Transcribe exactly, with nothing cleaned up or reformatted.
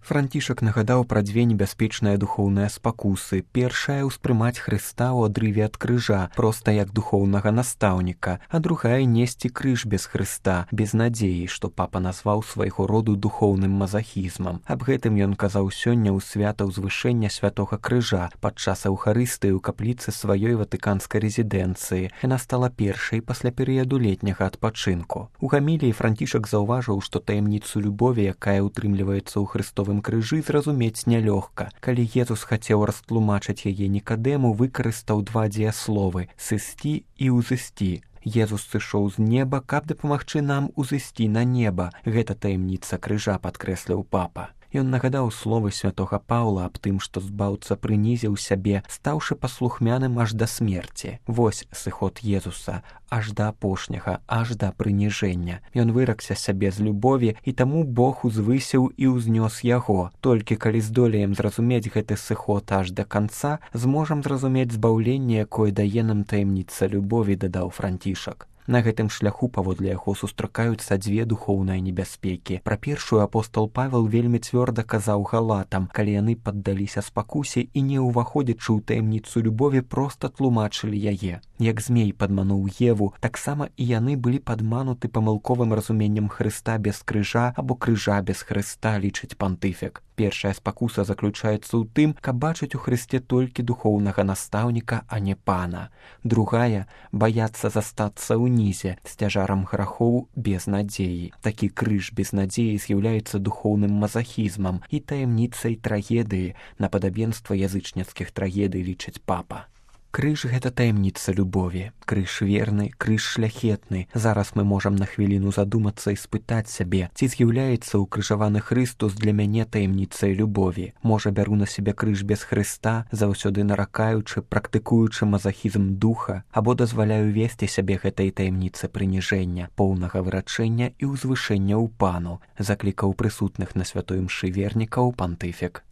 Францішак нагадаў пра дзве небяспечныя духоўныя спакусы. Першая — ўспрымаць Хрыста ў адрыве ад крыжа, проста як духоўнага настаўніка, а другая — несці крыж без Хрыста, без надзеі, што папа назваў свайго роду духоўным мазахізмам. Аб гэтым ён казаў сёння ў свята ўзвышэння святога крыжа падчас эўхарыстыі ў капліцы сваёй ватыканскай рэзідэнцыі. Яна стала першай пасля перыяду летняга адпачынку. У гаміліі Францішак заўважыў, што таямніцу любові, якая ўтрымліваецца ў хрыстовым крыжы, зразумець нялёгка. Калі Езус хацеў растлумачыць яе Нікадэму, выкарыстаў два дзеясловы — сысці і ўзысці. Езус сышоў з неба, каб дапамагчы нам узысці на неба. Гэта таямніца крыжа, падкрэсліў папа. Ён нагадаў словы святога Паўла аб тым, што збаўца прынізіў сябе, стаўшы паслухмяным аж да смерці. Вось сыход Езуса, аж да апошняга, аж да прыніжэння. Ён выракся сябе з любові, і таму Бог узвысіў і ўзнёс яго. Толькі калі здолеем зразумець гэты сыход аж да канца, зможам зразумець збаўленне, якое дае нам таямніца любові, дадаў Францішак. На гэтым шляху паводле яго сустракаюцца дзве духоўныя небяспекі. Пра першую апостол Павел вельмі цвёрда казаў галатам, калі яны паддаліся спакусе і, не ўваходзячы ў таямніцу любові, проста тлумачылі яе. Як змей падмануў Еву, таксама і яны былі падмануты памылковым разуменнем Хрыста без крыжа або крыжа без Хрыста, лічыць пантыфік. Першая спакуса заключаецца ў тым, каб бачыць у Хрысце толькі духоўнага настаўніка, а не пана. Другая — баяцца застацца ўнізе, з цяжарам грахоў без надзеі. Такі крыж без надзеі з'яўляецца духоўным мазахізмам і таямніцай трагедыі, на падабенства язычніцкіх трагедый, лічыць папа. Крыж — гэта таямніца любові. Крыж верны, крыж шляхетны. Зараз мы можам на хвіліну задумацца і спытаць сябе, ці з'яўляецца ўкрыжаваны Хрыстус для мяне таямніцай любові. Можа, бяру на сябе крыж без Хрыста, заўсёды наракаючы, практыкуючы мазахізм духа, або дазваляю весці сябе гэтай таямніцы прыніжэння, поўнага вырачэння і ўзвышэння ў пану, заклікаў прысутных на святой імшы вернікаў пантыфік.